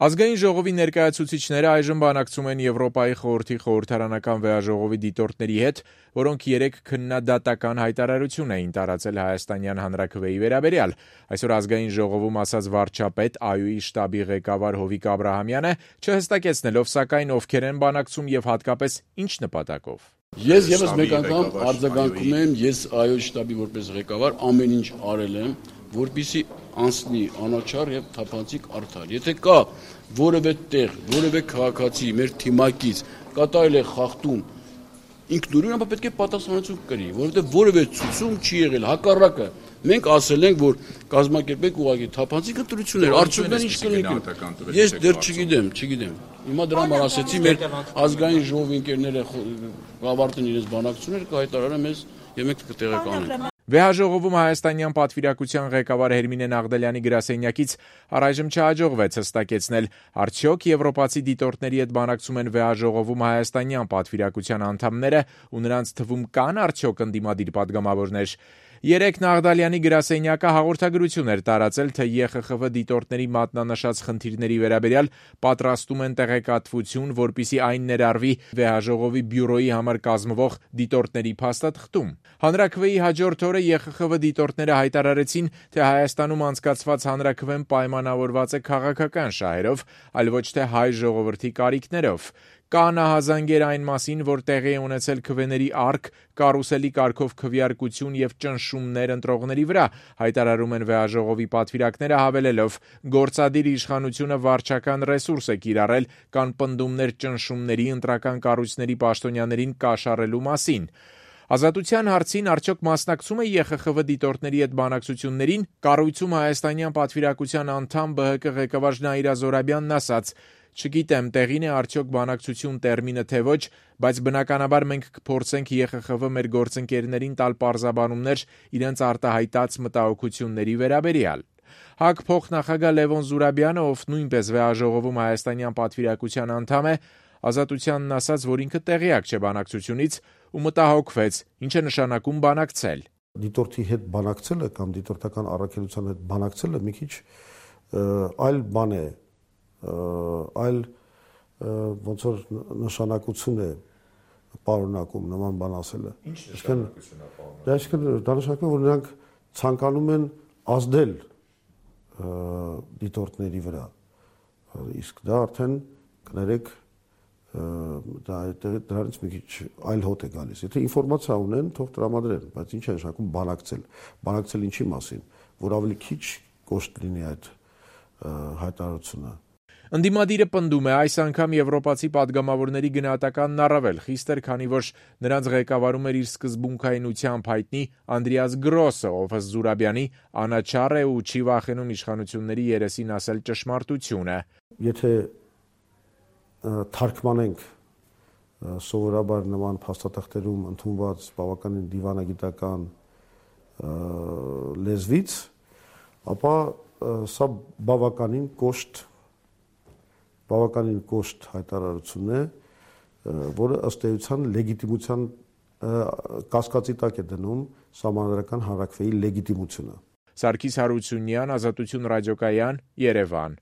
Ազգային ժողովի ներկայացուցիչները այժմ բանակցում են Եվրոպայի խորհրդի խորհրդարանական վեաժողովի դիտորդների հետ, որոնք երեկ քննադատական հայտարարություն էին տարածել հայաստանյան հանրաքվեի վերաբերյալ։ Այսօր Ազգային ժողովում ասաց վարչապետ ԱՅՈ-ի շտաբի ղեկավար Հովիկ Աբրահամյանը, չհստակեցնելով սակայն ովքեր են բանակցում եւ հատկապես ինչ նպատակով։ Ես եւս մեկ անգամ արձագանքում եմ, ես ԱՅՈ-ի շտաբի որպես ղեկավար ամեն ինչ արել եմ, որպեսզի անցնի անաչառ եւ թափանցիկ արդար։ Եթե կա որևէ տեղ, որևէ քաղաքացի մեր թիմակից կատարել է խախտում ինքնուրույն, ապա պետք է պատասխանատվություն կրի, որովհետեւ որևէ ցուցում չի եղել, հակառակը մենք ասել ենք, որ կազմակերպեք ուղղակի թափանցիկ ընտրություններ, արդյունքները ինչ կլինի։ Ես դեռ չգիտեմ։ Հիմա դրա համար ասեցի մեր ազգային ժողովի ընկերները ավարտեն իրենց բանակցությունները, կհայտարարեն մեզ եւ մենք կտեղեկանենք։ Վեհաժողովում հայաստանյան պատվիրակության ղեկավար Հերմինե Նաղդալյանի գրասենյակից առայժմ չհաջողվեց հստակեցնել, արդյոք եվրոպացի դիտորդների հետ բանակցում են վեհաժողովում հայաստանյան պատվիրակության անդամները ու նրանց թվում կան արդյոք ընդդիմադիր պատգամավորներ։ Երեկ Նաղդալյանի գրասենյակը հաղորդագրություն էր տարածել, թե ԵԽԽՎ դիտորդների մատնանշած խնդիրների վերաբերյալ պատրաստում են տեղեկատվություն, որպեսզի այն ներառվի վեհաժողովի բյուրոյի համար կազմվող դիտորդների փաստաթղթում։ Հանրաքվեի հաջորդ օրը ԵԽԽՎ դիտորդները հայտարարեցին, թե Հայաստանում անցկացված հանրաքվեն պայմանավորված է քաղաքական շահերով, այլ ոչ թե հայ ժողովրդի կարիքներով։ Կա նահազանգեր այն մասին, որ տեղի է ունեցել քվեների առք, կարուսելի կարգով քվեարկություն եւ ճնշումներ ընտրողների վրա, հայտարարում են վեհաժողովի պատվիրակները, հավելելով, գործադիր իշխանությունը վարչական ռեսուրս է կիրառել կան պնդումներ ճնշումների ընտրական կառույցների պաշտոնյաներին կաշառելու մասին։ Ազատության հարցին արդյոք մասնակցում է ԵԽԽՎ դիտորդների հետ բանակցություններին, կառույցում հայաստանյան պատվիրակության անդամ ԲՀԿ ղեկավար Նայիրա Զորաբյանն ասաց. Չգիտեմ, տեղին է արդյոք բանակցություն տերմինը թե ոչ, բայց բնականաբար մենք կփորձենք ԵԽԽՎ մեր գործընկերներին տալ պարզաբանումներ իրենց արտահայտած մտահոգությունների վերաբերյալ։ ՀԱԿ փոխնախագահ Լևոն Զուրաբյանը, ով նույնպես վեհաժողովում հայաստանյան պատվիրակության անդամ է, Ազատությանն ասաց, որ ինքը տեղյակ չէ բանակցությունից ու մտահոգվեց, ինչ է նշանակում բանակցել։ Դիտորդի հետ բանակցելը կամ դիտորդական առաքելության հետ բանակցելը մի քիչ այլ բան է, այլ ոնց որ նշանակություն է պարունակում նման բան ասելը։ Ինչ նշանակություն է պարունակում։ Այսինքն դա նշանակում է, որ նրանք ցանկանում են ազդել դիտորդների վրա։ Իսկ դա արդեն կներեք դրանից մի քիչ այլ հոտ է գալիս։ Եթե ինֆորմացիա ունեն, թող տրամադրեն, բայց ինչ է նշանակում բանակցել։ Բանակցել ինչի մասին, որ ավելի քիչ կոշտ լինի այդ հայտարարությունը։ Ընդդիմադիրը պնդում է, այս անգամ եվրոպացի պատգամավորների գնահատականն առավել խիստ էր, քանի որ նրանց ղեկավարում էր իր սկզբունքայնությամբ հայտնի Անդրեաս Գրոսը, ով ըստ Զուրաբյանի անաչառ է ու չի վախենում իշխանությունների երեսին ասել ճշմարտությունը։ Եթե թարգմանենք սովորաբար նման փաստաթղթերում ընդունված բավականին դիվանագիտական լեզվից, ապա սա բավականին կոշտ հայտարարություն է, որը ըստ էության լեգիտիմության կասկածի տակ է դնում սահմանադրական հանրաքվեի լեգիտիմությունը։ Սարգիս Հարությունյան, Ազատություն ռադիոկայան, Երևան։